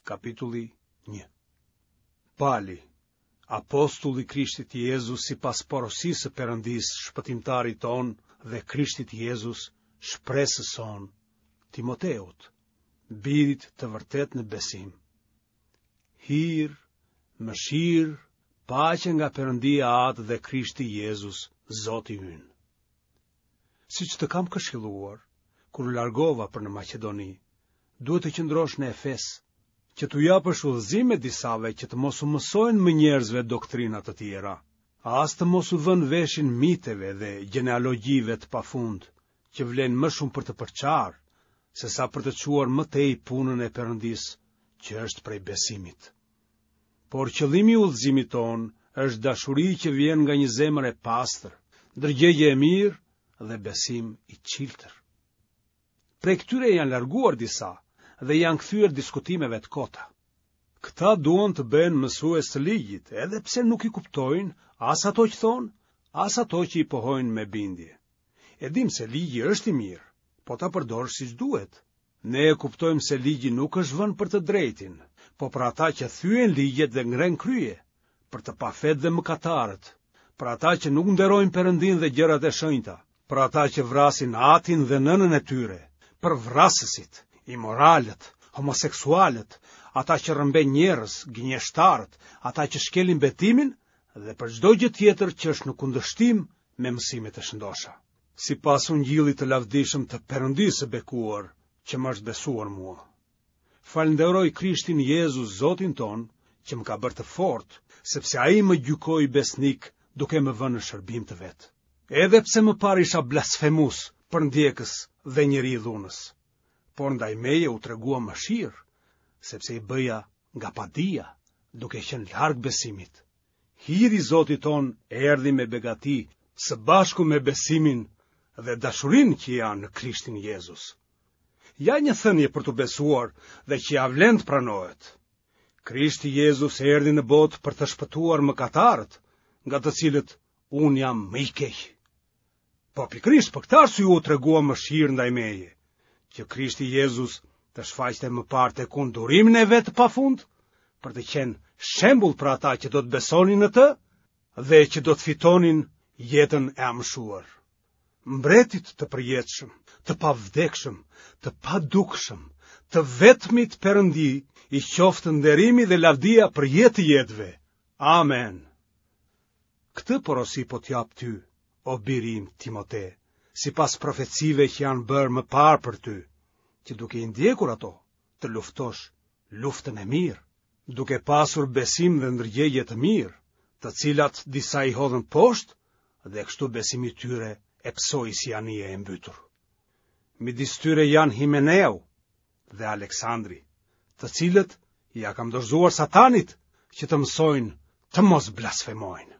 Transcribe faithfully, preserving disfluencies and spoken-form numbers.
Kapitulli një. Pali, apostull i Krishtit Jezus sipas porosisë së Perëndisë, shpëtimtarit tonë dhe Krishtit Jezus, shpresës sonë, Timoteut, birit të vërtetë në besim. Hir, mëshirë, paqe nga Perëndia Atë dhe Krishti Jezus, Zoti ynë. Siç të kam këshilluar, kur u largova për në Maqedoni, duhet të qëndrosh në Efes, që t'u japësh udhëzime disave që të mos u mësojnë më njerëzve doktrina të tjera, as të mos u vënë veshin miteve dhe gjenealogjive të pafund, që vlejnë më shumë për të përçarë, sesa për të çuar më tej punën e Perëndisë, që është prej besimit. Por qëllimi i udhëzimit tonë është dashuri që vjen nga një zemër e pastër, ndërgjegje e mirë dhe besim i çiltër. Prej këtyre janë larguar disa dhe janë kthyer diskutimeve të kota. Këta duan të bëhen mësues të ligjit, edhe pse nuk i kuptojnë as ato që thonë, as ato që i pohojnë me bindje. E dimë se ligji është i mirë, po ta përdorësh siç duhet. Ne e kuptojmë se ligji nuk është vënë për të drejtin, po për ata që thyejnë ligjet dhe ngrenë krye, për të pafetë dhe mëkatarët, për ata që nuk nderojnë Perëndinë dhe gjërat e shenjta, për ata që vrasin atin dhe nënën e tyre, për vrasësit, imoralët, homoseksualët, ata që rrëmbejnë njerëz, gënjeshtarët, ata që shkelin betimin dhe për çdo gjë tjetër që është në kundërshtim me mësimet e shëndosha. Sipas ungjillit të lavdishëm të Perëndisë së bekuar, që më është besuar mua. Falënderoj Krishtin Jezus, Zotin tonë, që më ka bërë të fortë, sepse ai më gjykoi besnik duke më vënë në shërbim të vet. Edhe pse më parë isha blasfemus, përndjekës dhe njeri i dhunës, por ndaj meje u tregua mëshirë, sepse i bëja nga padija, duke qenë larg besimit. Hiri i Zotit tonë erdhi me begati, së bashku me besimin dhe dashurinë që janë në Krishtin Jezus. Ja një thënie për t'u besuar dhe që ia vlen të pranohet. Krishti Jezus erdhi në botë për të shpëtuar mëkatarët, nga të cilët unë jam më i keq. Po pikërisht për këtë arsye u tregua mëshirë ndaj meje, që Krishti Jezus të shfaqte më parë tek unë durimin e vet të pafund, për të qenë shembull për ata që do të besonin në të dhe që do të fitonin jetën e amshuar. Mbretit të përjetshëm, të pavdekshëm, të padukshëm, të vetmit Perëndi, i qoftë nderimi dhe lavdia për jetë të jetëve. Amen. Këtë porosi po t'jap ty, o biri im Timote, sipas profecive që janë bërë më parë për ty, që duke i ndjekur ato, të luftosh luftën e mirë, duke pasur besim dhe ndërgjegje të mirë, të cilat disa i hodhën poshtë dhe kështu besimi i tyre e pësoi si anije e mbytur. Midis tyre janë Himeneu dhe Aleksandri, të cilët ia kam dorëzuar Satanit që të mësojnë të mos blasfemojnë.